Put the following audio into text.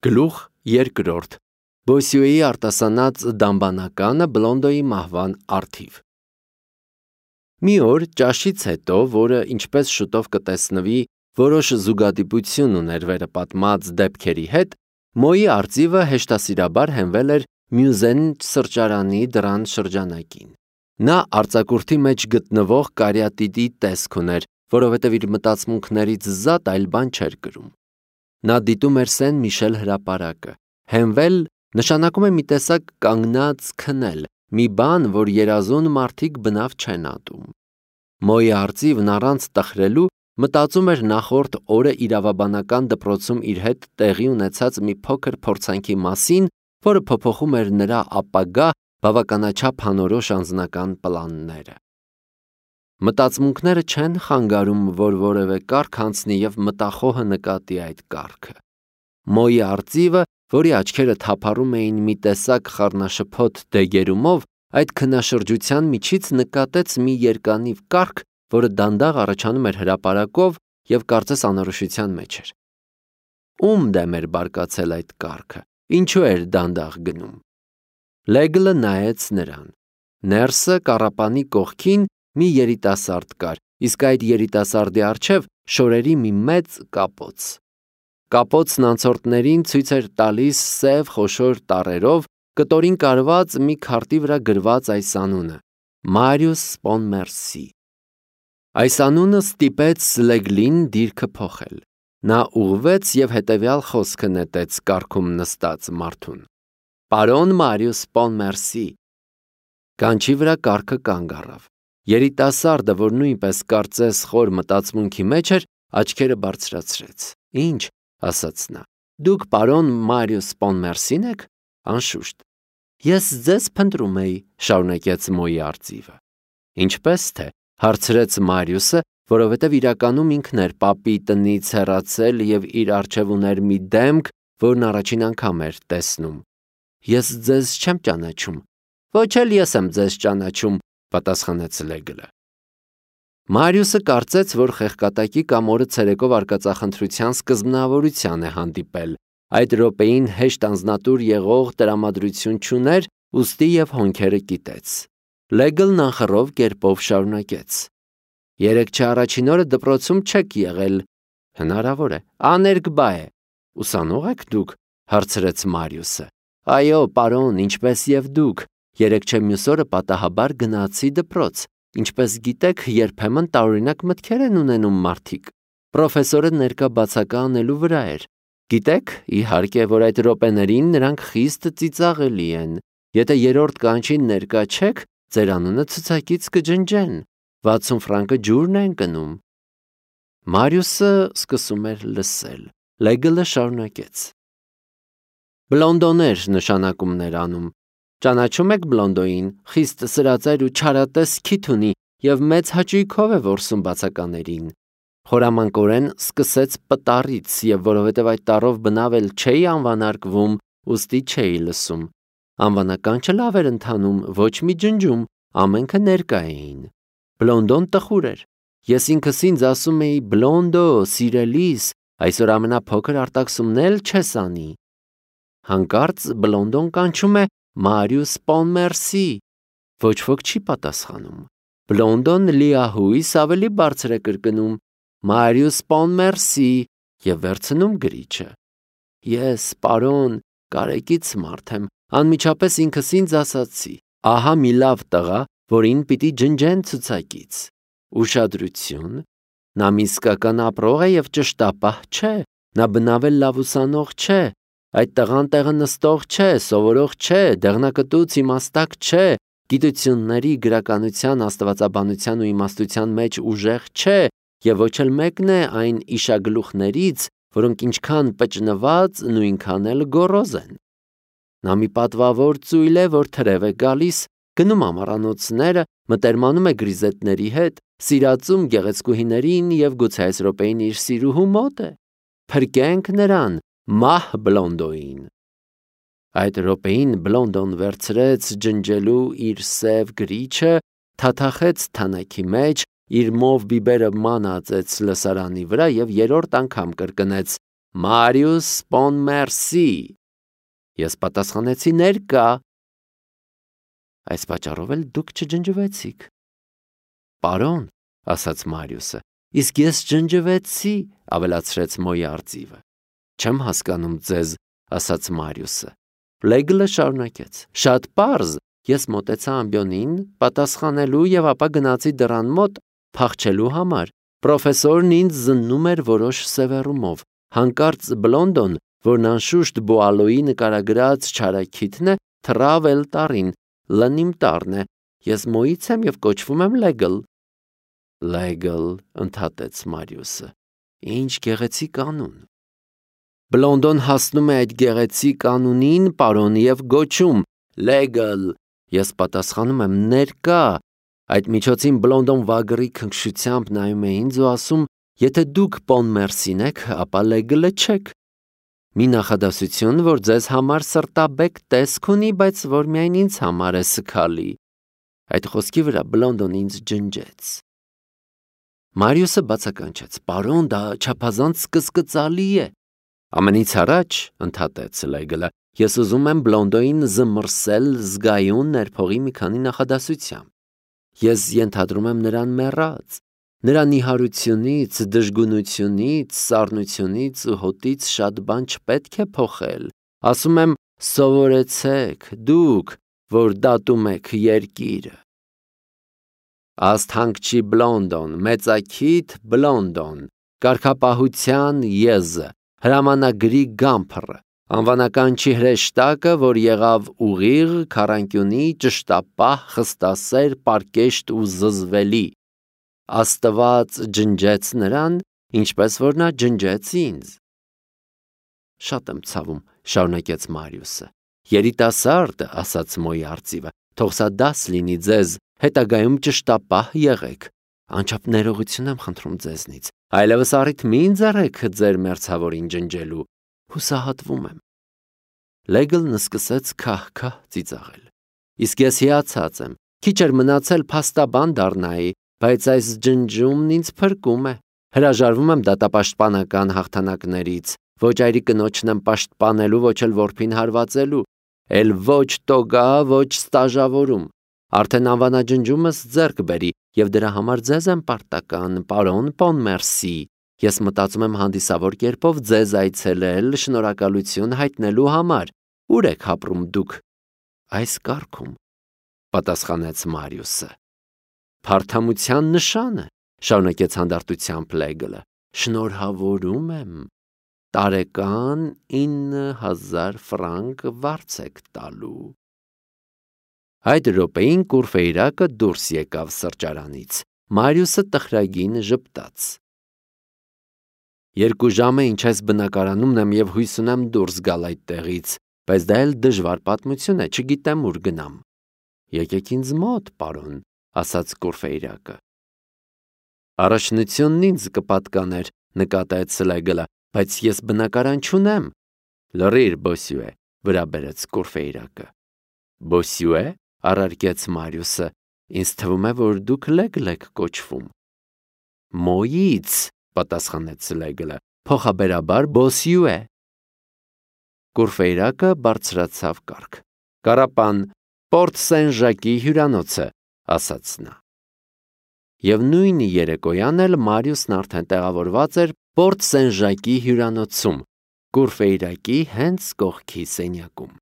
Գլուխ երկրորդ Բոսյուեի արտասանած դամբանականը Բլոնդոյի մահվան առթիվ։ Մի օր ճաշից հետո, որը ինչպես շուտով կտեսնվի, որոշ զուգադիպություն ուներ վերը պատմած դեպքերի հետ, Մոյի արծիվը հեշտասիրաբար հենվել էր Մյուզեն սրճարանի դռան շրջանակին։ Նա արձակուրդի մեջ գտնվող կարիատիդի տեսք ուներ, որովհետև իր մտածմունքներից զատ այլ բան չէր կրում։ Նա դիտում էր Սեն Միշել հրապարակը։ Հենվել նշանակում է մի տեսակ կանգնած քնել, մի բան, որ երազուն մարդիկ բնավ չեն ատում։ Մոյի արծիվն առանց տխրելու մտածում էր նախորդ օրը իրավաբանական դպրոցում իր հետ տեղի ունեցած մի փոքր փորձանքի մասին, որը փոփոխում էր նրա ապագա բավականաչափ անորոշ անձնական պլանները։ Մտածմունքները չեն խանգարում, որ որևէ կարգ անցնի և մտախոհը նկատի այդ կարգը։ Մոյի արծիվը, որի աչքերը թափառում էին մի տեսակ խառնաշփոթ դեգերումով, այդ քնաշրջության միջից նկատեց մի երկանիվ կարգ, որը դանդաղ առաջանում էր հրապարակով և կարծես անորոշության մեջ էր։ Ում դեմ էր բարկացել այդ կարգը, ինչու էր դանդաղ գնում։ Լեգլը նայեց նրան։ Ներսը կառապանի կողքին մի երիտասարդ կար, իսկ այդ երիտասարդի առջև շորերի մի մեծ կապոց։ Կապոցն անցորդներին ցույց էր տալիս սև խոշոր տառերով կտորին կարված մի քարտի վրա գրված այս անունը՝ Մարիուս Պոնմերսի։ Այս անունը ստիպեց Լեգլին դիրքը փոխել։ Նա ուղղվեց և հետևյալ խոսքը նետեց կառքում նստած մարդուն. Պարոն Մարիուս Պոնմերսի։ Կանչի վրա կառքը կանգ առավ։ Երիտասարդը, որ նույնպես կարծես խոր մտածմունքի մեջ էր, աչքերը բարձրացրեց։ Ինչ, ասաց նա, դուք պարոն Մարիուս Պոնմերսին եք։ Անշուշտ։ Ես ձեզ փնտրում էի, շարունակեց Մոյի արծիվը։ Ինչպես թե, հարցրեց Մարիուսը, որովհետև իրականում ինքն էր պապի տնից հեռացել և իր առջև ուներ մի դեմք, որն առաջին անգամ էր տեսնում։ Ես ձեզ չեմ ճանաչում։ Ոչ էլ ես եմ ձեզ ճանաչում, պատասխանեց Լեգլը։ Մարիուսը կարծեց, որ խեղկատակի կամ օրը ցերեկով արկածախնդրության սկզբնավորության է հանդիպել։ Այդ րոպեին հեշտ անձնատուր եղող տրամադրություն չուներ, ուստի և հոնքերը կիտեց։ Լեգլն անխռով կերպով շարունակեց. Երեկ առաջին օրը դպրոցում չեք եղել։ Հնարավոր է, աներկբա է։ Ուսանո՞ղ եք դուք, հարցրեց Մարիուսը։ Այո, պարոն, ինչպես և դուք։ Երեկ մյուս օրը պատահաբար գնացի դպրոց։ Ինչպես գիտեք, երբեմն տարօրինակ մտքեր են ունենում մարդիկ։ Պրոֆեսորը ներկա բացակա անելու վրա էր։ Գիտեք, իհարկե, որ այդ րոպեներին նրանք խիստ ծիծաղելի են։ Եթե երրորդ կանչին ներկա չեք, ձեր անունը ցուցակից կջնջեն։ 60 ֆրանկը ջուրն են կնում։ Մարիուսը սկսում էր լսել։ Լեգլը շարունակեց. Բլոնդոներ նշանակումներ անում։ Ճանաչում եք Բլոնդոյին, խիստ սրածայր ու չարատես քիթ ունի և մեծ հաճույքով է որսում բացականերին։ Խորամանկորեն սկսեց պտառից և որովհետև այդ տառով բնավ էլ չէի անվանարկվում, ուստի չէի լսում։ Անվանականչը լավ էր ընթանում, ոչ մի ջնջում, ամենքը ներկա էին։ Բլոնդոն տխուր էր։ Ես ինքս ինձ ասում էի Բլոնդո, սիրելիս, այսօր ամենափոքր արտաքսումն էլ չես անի։ Հանկարծ Բլոնդոն կանչում է Մարիուս Պոնմերսի։ Ոչ ոք չի պատասխանում։ Բլոնդոն լիահույս ավելի բարձր է կրկնում Մարիուս Պոնմերսի և վերցնում գրիչը։ Ես, պարոն, կարեկից մարդ եմ, անմիջապես ինքս ինձ ասացի. ահա մի լավ տղա, որին պիտի ջնջեն ցուցակից։ Ուշադրություն, նա մի իսկական ապրող է և ճշտապահ չէ, նա բնավ էլ լավ ուսանող չէ, այդ տղան տեղը նստող չէ, սովորող չէ, դեղնակտուց իմաստակ չէ, գիտությունների, գրականության, աստվածաբանության ու իմաստության մեջ ուժեղ չէ և ոչ էլ մեկն է այն իշագլուխներից, որոնք ինչքան պճնված, նույնքան էլ գոռոզ են։ Նա մի պատվավոր ծույլ է, որ թրև է գալիս, գնում ամառանոցները, մտերմանում է գրիզետների հետ, սիրածում գեղեցկուհիներին և գուցե այս րոպեին իր սիրուհու մոտ է։ Փրկենք նրան, մահ Բլոնդոյին։ Այդ րոպեին Բլոնդոն վերցրեց ջնջելու իր սև գրիչը, թաթախեց թանաքի մեջ, իր մով բիբերը մանածեց լսարանի վրա և երրորդ անգամ կրկնեց. Մարիուս Պոնմերսի։ Ես պատասխանեցի ներկա։ Այս պատճառով էլ դուք չջնջվեցիք։ Պարոն, ասաց Մարիուսը, իսկ ես ջնջվեցի, ավելացրեց Մոյի արծիվը։ Չեմ հասկանում ձեզ, ասաց Մարիուսը։ Լեգլը շարունակեց. Շատ պարզ, ես մոտեցա ամբիոնին պատասխանելու եւ ապա գնացի դռան մոտ փախչելու համար։ Պրոֆեսորն ինձ զննում էր որոշ սևեռումով։ Հանկարծ Բլոնդոն, որն անշուշտ Բուալոյի նկարագրած չարաքիթն է, թռավ էլ տարին, լնիմ տարն է։ Ես Մոյից եմ եւ կոչվում եմ Լեգլ։ Լեգլ, ընդհատեց Մարիուսը։ Ինչ գեղեցիկ անուն։ Բլոնդոն հասնում է այդ գեղեցիկ անունին, պարոն, եւ գոչում. Լեգլ։ Ես պատասխանում եմ ներկա։ Այդ միջոցին Բլոնդոն վագրի քնքշությամբ նայում է ինձ ու ասում. Եթե դուք Պոնմերսին եք, ապա Լեգլը չեք։ Մի նախադասություն, որ ձեզ համար սրտաբեկ տեսք ունի, բայց որ միայն ինձ համար է սքալի։ Այդ խոսքի վրա Բլոնդոն ինձ ջնջեց։ Մարիուսը բացականչեց. Պարոն, դա չափազանց կսկծալի է։ Ամենից առաջ, ընդհատեց Լեգլը, ես ուզում եմ Բլոնդոյին զմռսել զգայուն ներփողի մի քանի նախադասությամբ։ Ես ենթադրում եմ նրան մեռած։ Նրա նիհարությունից, դժգունությունից, սառնությունից ու հոտից շատ բան չպետք է փոխել։ Ասում եմ, սովորեցեք, դուք, որ դատում եք երկիրը։ Ասթանկչի Բլոնդոն, մեծաքիթ Բլոնդոն, կարգապահության եզը, հրամանագրի գամփռը, անվանական չի հրեշտակը, որ եղավ ուղիղ, քառանկյունի, ճշտապահ, խստասեր, պարկեշտ ու զզվելի։ Աստված ջնջեց նրան, ինչպես որ նա ջնջեց ինձ։ Շատ եմ ցավում, շարունակեց Մարիուսը։ Երիտասարդ, ասաց Մոյի արծիվը, թող սա դաս լինի ձեզ, հետագայում ճշտապահ եղեք։ Անչափ ներողություն եմ խնդրում ձեզնից։ Այլևս առիթ մի ընձեռեք ձեր մերձավորին ջնջելու։ Հուսահատվում եմ։ Լեգլն սկսեց քահ-քահ ծիծաղել։ Իսկ ես հիացած եմ։ Քիչ էր մնացել փաստաբան դառնայի, բայց այս ջնջումն ինձ փրկում է։ Հրաժարվում եմ դատապաշտպանական հաղթանակներից։ Ոչ այրի կնոջն եմ պաշտպանելու, ոչ էլ որբին հարվածելու։ Էլ ոչ տոգա, ոչ ստաժավորում։ Արդեն անվանաջնջումս ձեռք բերի, եւ դրա համար ձեզ եմ պարտական, պարոն Պոնմերսի։ Ես մտածում եմ հանդիսավոր կերպով ձեզ այցելել, շնորհակալություն հայտնելու համար։ Ուր եք ապրում դուք։ Այս կարգում, պատասխանեց Մարիուսը։ Փարթամության նշանը, շարունակեց հանդարտությամբ Լեգլը։ Շնորհավորում եմ։ Տարեկան 9000 ֆրանկ վարձ եք տալու։ Այդ րոպեին Կուրֆեյրակը դուրս եկավ սրճարանից։ Մարիուսը տխրագին ժպտաց։ 2 ժամ է ինչ այս բնակարանումն եմ եւ հույս ունեմ դուրս գալ այդտեղից, բայց դա էլ դժվար պատմություն է, չգիտեմ ուր գնամ։ Եկեք ինձ մոտ, պարոն, ասաց Կուրֆեյրակը։ Առաջնությունն ինձ կպատկաներ, նկատեց Լեգլը, բայց ես բնակարան չունեմ։ Լռիր, Բոսյուե, վրա բերեց Կուրֆեյրակը։ Բոսյուե, առարկեց Մարիուսը, ինձ թվում է, որ դուք Լեգլ եք կոչվում։ Մոյից, պատասխանեց Լեգլը, փոխաբերաբար Բոսյուե։ Կուրֆեյրակը բարձրացավ կառք։ Կարապան, Պորտ Սեն-Ժակի հյուրանոցը, ասաց նա։ Եվ նույն երեկոյան էլ Մարիուսն արդեն տեղավորված էր Պորտ Սեն-Ժակի հյուրանոցում, Կուրֆեյրակի հենց կողքի սենյակում։